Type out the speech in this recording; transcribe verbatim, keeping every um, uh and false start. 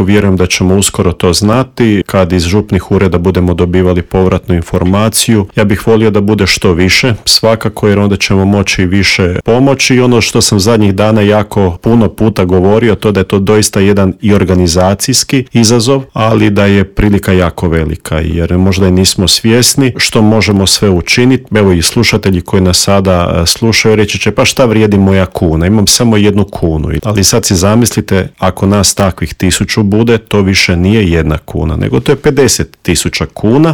Vjerujem da ćemo uskoro to znati kad iz župnih ureda budemo dobivali povratnu informaciju. Ja bih volio da bude što više, svakako, jer onda ćemo moći više pomoći. I ono što sam zadnjih dana jako puno puta govorio, to da je to doista jedan i organizacijski izazov, ali da je prilika jako velika, jer možda i nismo svjesni što možemo sve učiniti. Evo i slušatelji koji nas sada slušaju reći će, pa šta vrijedi moja kuna, imam samo jednu kunu. Ali sad si zamislite, ako nas takvih tisuću bude, to više nije jedna kuna, nego to je pedeset tisuća kuna